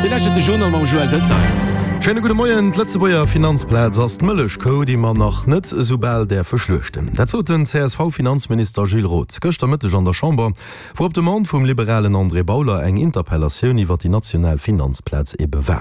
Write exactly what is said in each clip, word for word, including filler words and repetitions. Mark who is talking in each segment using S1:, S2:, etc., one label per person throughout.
S1: Dir lauschtert de Journal mam Joël Deltain.
S2: Schéine gudde Moien. D'Lëtzebuerger Finanzplaz ass d'Mëllechkou, déi mer nach net esou bal däerfe schluechten. Dat sot den C S V-Finanzminister Gilles Roth gëschter Mëtteg an der Chamber, wou op Demande vum liberalen André Bauler eng Interpellatioun iwwer déi national Finanzplaz ebe war.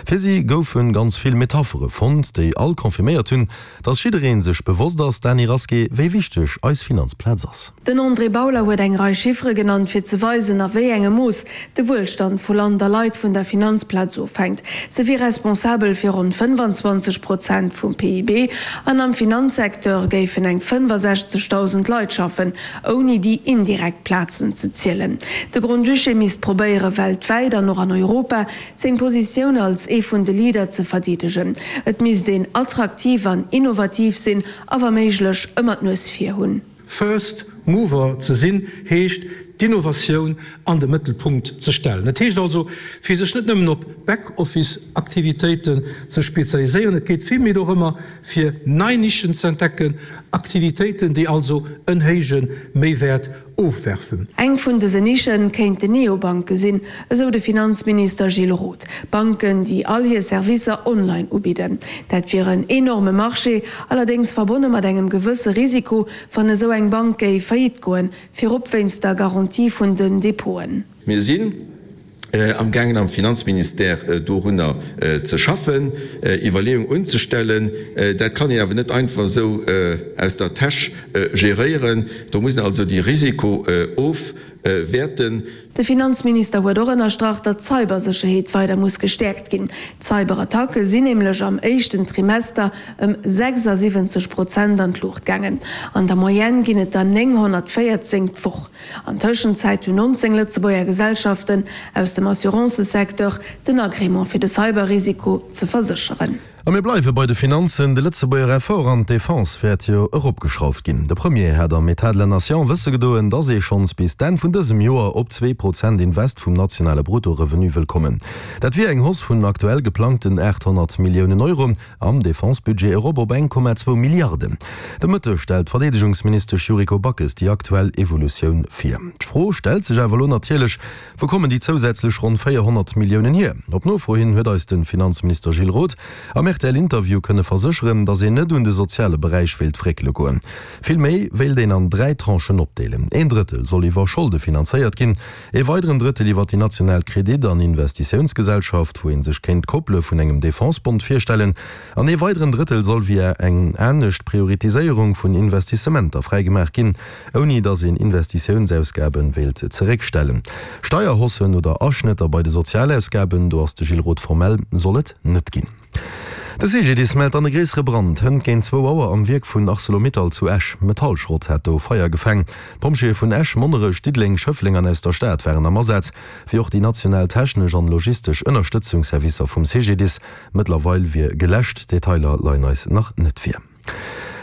S2: Fir si goufe ganz vill Metaphere fonnt, déi all confirméiert hunn, dass jidderee sech bewosst ass, Dany Rasqué, wéi wichteg eis Finanzplaz ass.
S3: Den André Bauler huet eng Rei Chiffere genannt, fir ze weisen, a wéi engem Mooss de Wuelstand vu Land a Leit vun der Finanzplaz ofhänkt. Se wier responsabel fir ronn fënnefanzwanzeg Prozent vum P I B an am Finanzsecteur géifen eng fënnefasechzegdausend Leit schaffen, ouni déi indirekt Plazen ze zielen. De Grand-Duché misst probéieren, weltwäit an och an Europa seng Positioun als ee vun de Leader ze verdeedegen. Et misst een attraktiv an innovativ sinn a wa méiglech ëmmer d'Nues vir hunn.
S4: First mover ze sinn, heescht, d'Innovatioun an de Mëttelpunkt ze stellen. Et heescht also, fir sech net nëmmen op Back-Office-Aktivitéiten ze spezialiséieren, et geet villméi dorëmmer, fir nei Nischen ze entdecken, Aktivitéiten, déi also en héije Méiwäert ofwerfen.
S3: Eng vun dësen Nische kéinten Neobanke sinn, esou de Finanzminister Gilles Roth. Banken, déi all hir Servicer online ubidden. Dat wier en enorme Marché, allerdéngs verbonne mat engem gewësse Risiko, wann esou eng Bank géif faillite goen, virop wéinst der Garantie vun den Depoten.
S5: Mir sinn amgaangen am Finanzministère dorunner ze schaffen, Iwwerleeung unzestellen. Dat kann een awer net einfach esou aus der Täsch geréieren. Do muss een also déi Risiko ofwäerten.
S3: De Finanzminister huet och ënnerstrach, datt d'Cybersécherheet weider muss gestäerkt ginn. D'Cyberattacke sinn nämlech am éischten Trimester ëm sechsasiwwenzeg Prozent an d'Luucht gaangen. An der Moyenne ginn et der nénghonnertvéierzéng d'Woch. An Tëschenzäit hunn nonzéng Lëtzebuerger Gesellschaften aus dem Assurancësecteur den Agrément fir de Cyberrisiko ze versécheren.
S2: A mir bleiwe bei de Finanzen, De Lëtzebuerger Effort an d'Defense wäert jo eropgeschrauft ginn. De Premier hat am État de la Nation wësse gedoen, dass ee schonns bis d'Enn vun dësem Joer op zwee Prozent Invest vum nationale Brutto-Revenu wëll kommen. Dat wier eng Hausse vun aktuell geplangten aathonnert Milliounen Euro am Defense-Budget erop op eng Komma zwou Milliarden. De Mëtteg stellt d'Verdeedegungsministesch Yuriko Backes déi aktuell Evolutioun vir. D'Fro stellt sech awer elo natierlech, Wou kommen déi zousätzlech ronn véierhonnert Milliounen hier? Op Nofro hin huet eis de Finanzminister Gilles Roth am R T L-Interview kënne versécheren, datt een net un de soziale Beräich wéilt fréckele goen. Vill méi wéilt een an dräi Tranchen opdeelen. Een Drëttel soll iwwer Scholde finanzéiert ginn, ee weideren Drëttel iwwer déi national Kredit an Investitiounsgesellschaft, wou ee sech kéint d'Koppele vun engem Defense-Bond virstellen, an ee weideren Drëttel soll via eng anescht Prioritiséierung vun Investissementer fräigemaach ginn, ouni datt een Investitiounsausgabe wéilt zeréckstellen. Steierhaussen oder Aschnëtter bei de Sozialausgaben, do ass de Gilles Roth formell, soll et net ginn. De C G D I S mellt an e gréissere Brand hënt géint zwou Auer am Wierk vun Arcelor-Mittal zu Esch. Metallschrott hat do Feier gefaang. D'Pompjeeë vun Esch, Monnerech, Diddeleng, Schëffleng an aus der Stad waren am Asaz, wéi och déi national technesch an logistesch Ënnerstëtzungsservicer vum C G D I S. Mëttlerweil wier geläscht, Detailer leien eis nach net vir.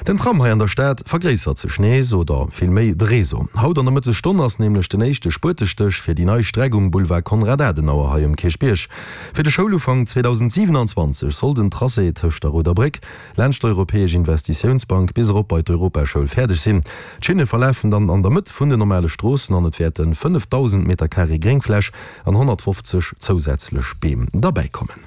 S2: Den Tram hei an der Stad vergréissert sech nees, oder vill méi de Réseau. Haut an der Mëttesstonn ass nämlech den éischte Spuetestéch fir déi nei Streck um Boulevard Konrad Adenauer hei um Kierchbierg. Fir de Schoulufank zweedausendsiwenanzwanzeg soll den Tracé tëscht der Rouder Bréck, laanscht d'Europäesch Investitiounsbank bis erop bei d'Europaschoul fäerdeg sinn. D'Schinne verlafen dann an der Mëtt vun den normale Stroossen an et wäerte fënnefdausend Meter Carré Gréngfläch an honnertfofzeg zousätzlech Beem derbäikommen.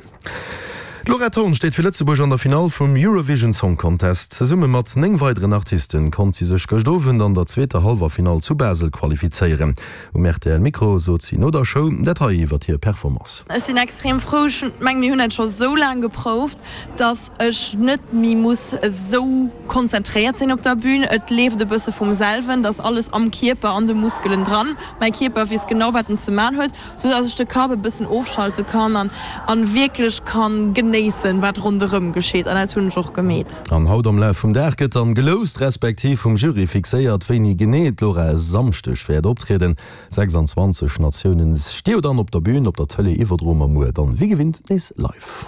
S2: D'Laura Thorn steet fir Lëtzebuerg an der Finall vum Eurovision Song Contest. Zesumme mat néng weideren Artiste konnt si sech gëscht Owend an der zweeter Hallwerfinall zu Basel qualifizéieren. Um R T L Mikro sot si no der Show dat hei iwwer hir Performance.
S6: Ech sinn extrem frou, ech mengen, mir hunn dat scho sou laang geprouft, dass ech net méi muss esou konzentréiert sinn op der Bün. Et leeft e bësse vum selwen, dass alles am Kierper, an de Muskelen dran. Mäi Kierper weess genau, wat en ze man huet, sou dass ech de Kapp e bëssen ofschalte kann an an wierklech kann genéissen, wat ronderëm geschitt, an dat hunn ech och gemeet.
S2: An haut am Laf vum Dag gëtt dann geloust, respektiv vum Jury fixéiert, wéini genee d'Laura e Samschdeg wäert optrieden. sechsanzwanzeg Natiounen sti jo dann op der Bün, op der Tëlee iwwerdroe mer muer dann wéi gewinnt nees live.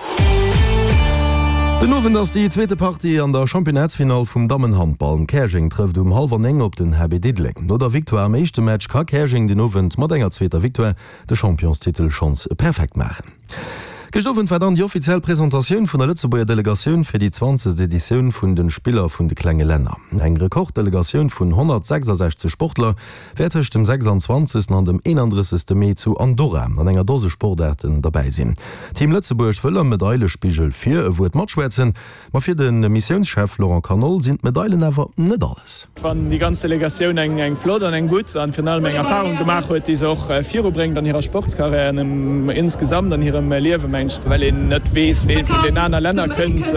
S2: Den Owend ass déi zweete Partie an der Championnatsfinall vum Dammenhandball. Käerjeng trëfft um hallwer néng op den H B Diddeleng. No der Victoire am éischte Match ka Käerjeng den Owend mat enger zweeter Victoire de Championstitel schonns perfekt maachen. Gëscht Owend war dann déi offiziell Presentatioun vun der Lëtzebuerger Delegatioun fir déi zwanzegst Editioun vun de Spiller vun de klenge Länner. Eng Rekorddelegatioun vun honnertsechsasechzeg Sportler wäert tëscht dem sechsanzwanzegsten an dem eenandrëssegste Mee zu Andorra an enger Dose Sportaarten derbäi sinn. Team Lëtzebuerg wëll am Medailespigel fir e Wuert matschwätzen, ma fir de Missiounschef Laurent Canol sinn d'Medailen awer net alles.
S7: Wann déi ganz Delegatioun eng flott an eng gutt an virun allem eng Erfarung gemaach huet, déi se och virubréngt an hirer Sportskarriär an insgesamt an hirem Liewen, mengen ech, well een net weess, ween vun den aner Länner kënnt.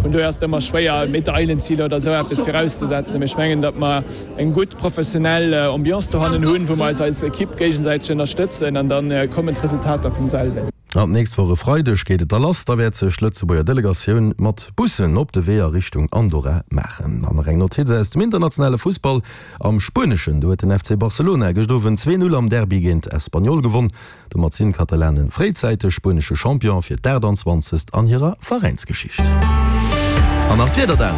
S7: Vun dohier ass et ëmmer schwéier, Medailenziler oder esou eppes virauszesetzen. Mee ech mengen, datt mer eng gutt professionell Ambiance dohannen hunn, wou mer eis als Ekipp géigesäiteg ënnerstëtzen an da kommen d'Resultater vum selwen.
S2: An d'nächst Woch e Freideg geet et da lass, da wäert sech d'Lëtzebuerger Delegatioun mat Bussen op de Wee a Richtung Andorra maachen. An nach eng Notiz aus dem internationale Fussball, Am Spueneschen, do huet den F C Barcelona gëscht Owend zwee Null am Derby géint Espanyol gewonn. Domat sinn d'Katalanen fréizäiteg spuenesche Champion fir d'aachtantwanzegst an hirer Veräinsgeschicht. An nach d'Wieder dann.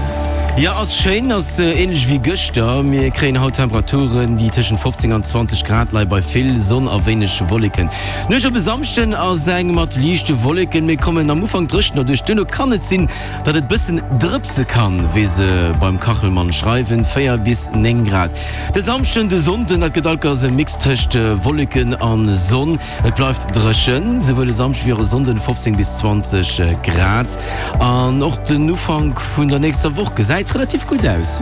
S1: Jo, ass schéin, ass ähnlech wéi gëschter. Mir kréien haut Temperaturen, déi tëschent fofzéng an zwanzeg Grad leie bei vill Sonn a wéineg Wolleken. D'Nuecht op e Samschden ass eng mat liichte Wolleken, mir kommen am Ufank dréchen derduerch. Duerno kann et sinn, datt et bëssen drëpse kann, wéi se beim Kachelmann schreiwen, véier bis néng Grad. De Samschden, de Sonnden, dat gëtt allkéiers e Mix tëscht Wolleken a Sonn. Et bleift dréchen, souwuel e Samschde wéi och e Sonnden, fofzéng bis zwanzeg Grad. An och den Ufank vun der nächster Woch gesäit relativ gutt aus.